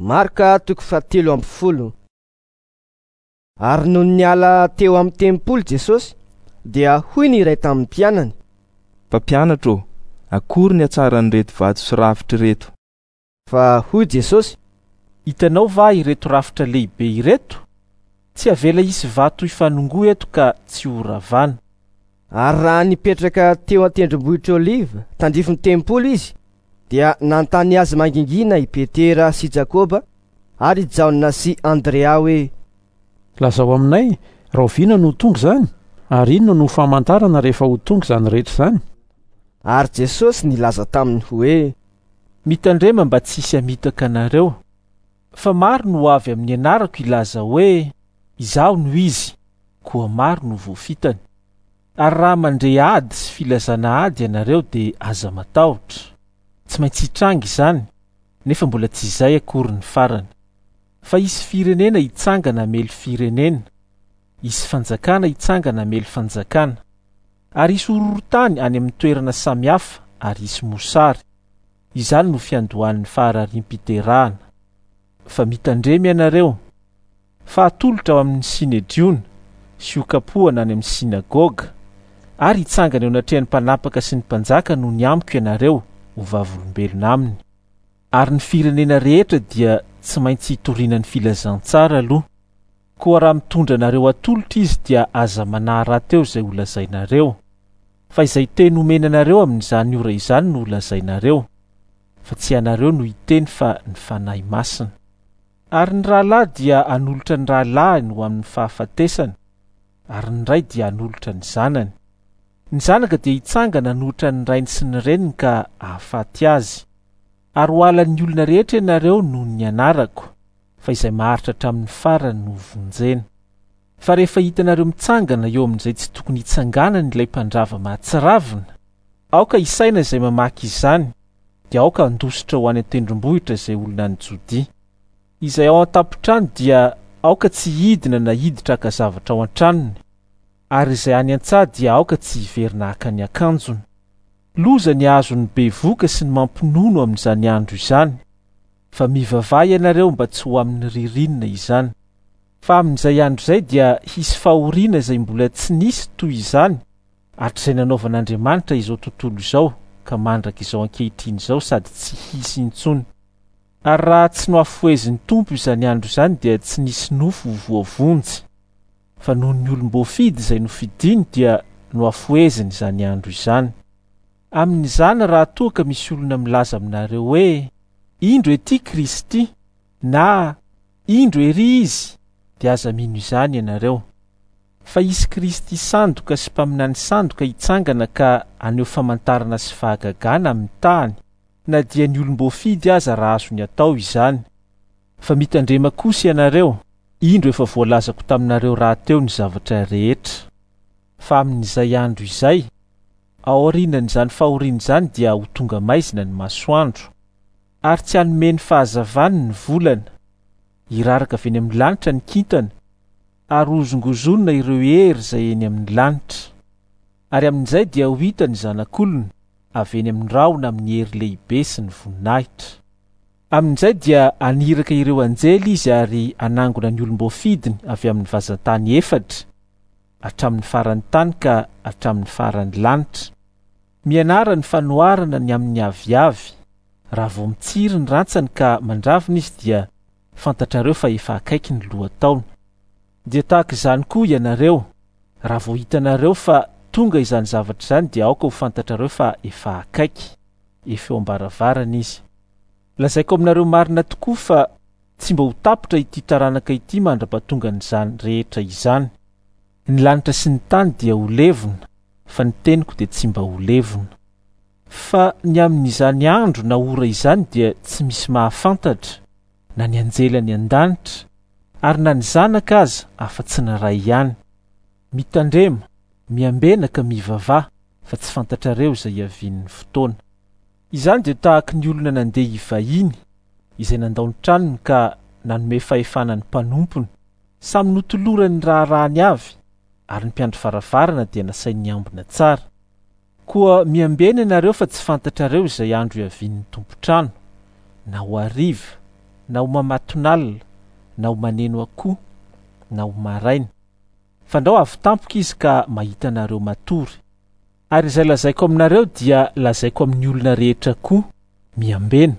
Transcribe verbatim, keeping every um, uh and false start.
Marka toko fahatelo amby folo. Ary nony niala teo amin'ny tempoly Jesosy, dia hoy ny iray tamin'ny mpianany: "Mpampianatra ô, akory ny hatsaran'ireto vato sy rafitra ireto." Fa hoy Jesosy: "Hitanao va ireto rafitra lehibe ireto? Tsy avela hisy vato hifanongoa eto ka tsy ho ravana." Ary raha nipetraka teo an-tendrombohitra Oliva tandrifin'ny tempoly izy, dia nanontany azy mangingina i Petera sy Jakoba ary Jaona sy Andrea hoe: "Lazao aminay, rahoviana no ho tonga izany? Ary inona no famantarana rehefa ho tonga izany rehetra izany?" Ary Jesosy nilaza taminy hoe: "Mitandrema mba tsy hisy hamitaka anareo, fa maro no ho avy amin'ny anarako hilaza hoe: Izaho no izy, koa maro no voafitany. Ary raha mandre ady sy filazana ady ianareo dia aza matahotra. Tsy maintsy hitranga izany, nefa mbola tsy izay akory ny farany. Fa hisy firenena hitsangana hamely firenena, hisy fanjakana hitsangana hamely fanjakana, ary hisy horohorontany any amin'ny toerana samihafa, ary hisy mosary. Izany no fiandohan'ny faharariam-piterahana. Fa mitandrema ianareo, fa atolotra ao amin'ny sinedriona sy ho kapohana any amin'ny sinagoga, ary hitsangana eo anatrehan'ny mpanapaka sy ny mpanjaka noho ny amiko ianareo ho vavolombelona aminy. Ary ny firenena rehetra dia tsy maintsy hitoriana ny filazantsara aloha. Koa raha mitondra anareo atolotra izy dia aza manahy rahateo izay ho lazainareo, fa izay teny omena anareo amin'izany ora izany no ho lazainareo, fa tsy ianareo no hiteny fa ny Fanahy Masina. Ary ny rahalahy dia hanolotra ny rahalahiny ho amin'ny fahafatesana, ary ny ray dia hanolotra ny zanany. Ny zanaka dia hitsangana hanohitra ny rainy sy ny reniny ka hahafaty azy. Ary ho halan'ny olona rehetra ianareo noho ny anarako, fa izay maharitra hatramin'ny farany no vonjena. Fa rehefa hitanareo mitsangana eo amin'izay tsy tokony hitsanganany ilay mpandrava mahatsiravina, aoka hisaina izay mamaky izany, dia aoka handositra ho any an-tendrombohitra izay olona any Jodia. Izay ao an-tampon-trano dia aoka tsy hidina na hiditra haka zavatra ao an-tranony, ary izay any an-tsaha dia aoka tsy hiverina haka ny akanjony. Loza ny azon'ny bevoka sy ny mampinono amin'izany andro izany, fa mivavaha ianareo mba tsy ho amin'ny ririnina izany. Fa amin'izay andro izay dia hisy fahoriana izay mbola tsy nisy toy izany hatrizay nanaovan'Andriamanitra izao tontolo izao ka mandraka izao ankehitriny izao sady tsy hisy intsony. Ary raha tsy nohafohezin'ny Tompo izany andro izany dia tsy nisy nofo ho voavonjy, fa noho ny olom-boafidy izay nofidiny dia nohafoheziny izany andro izany. Amin'izany raha toa ka misy olona milaza aminareo hoe: "Indro ety Kristy", na "Indro ery izy", dia aza mino izany ianareo. Fa hisy Kristy sandoka sy mpaminany sandoka hitsangana ka haneho famantarana sy fahagagana amin'ny tany, na dia ny olom-boafidy aza raha azony atao izany. Fa mitandrema kosa ianareo, indro efa voalazako taminareo rahateo ny zavatra rehetra. Fa amin'izay andro izay, aorianan'izany fahoriana izany dia ho tonga maizina ny masoandro, ary tsy hanome ny fahazavany ny volana. Hiraraka avy eny amin'ny lanitra ny kintana, ary hozongozonina ireo hery izay eny amin'ny lanitra. Ary amin'izay dia ho hita ny zanak'olona avy eny amin'ny rahona amin'ny hery lehibe sy ny voninahitra. Amin'izay dia haniraka ireo anjely izy ary hanangona ny olom-boafidiny avy amin'ny vazan-tany efatra, hatramin'ny faran'ny tany ka hatramin'ny faran'ny lanitra. Mianara ny fanoharana ny amin'ny aviavy. Raha vao mitsiry ny rantsany ka mandravina izy dia fantatrareo fa efa akaiky ny lohataona. Dia tahaka izany koa ianareo, raha vao hitanareo fa tonga izany zavatra izany dia aoka ho fantatrareo fa efa akaiky, efa eo am-baravarana izy. Lazaiko aminareo marina tokoa fa tsy mba ho tapitra ity taranaka ity mandra-pahatongan'izany rehetra izany. Ny lanitra sy ny tany dia ho levona, fa ny teniko dia tsy mba ho levona. Fa ny amin'izany andro na ora izany dia tsy misy mahafantatra, na ny anjely any an-danitra, ary na ny zanaka aza afa-tsy ny ray ihany. Mitandrema, miambena ka mivavaha, fa tsy fantatrareo izay hiavian'ny fotoana. Izany dia tahaky ny olona nandeha hivahiny, izay nandao ny tranony ka nanome fahefana ny mpanompony. Samy notolorany ny raharahany avy, ary ny mpiandry varavarana dia nasain'ny ambina tsara. Koa miambena ianareo fa tsy fantatrareo izay andro hiavian'ny tompon-trano, na ho hariva, na ho mamatonalina, na ho maneno akoho, na ho maraina. Fandrao avy tampoka izy ka mahita anareo matory. Ary izay lazaiko aminareo dia lazaiko amin'ny olona rehetra koa: miambena.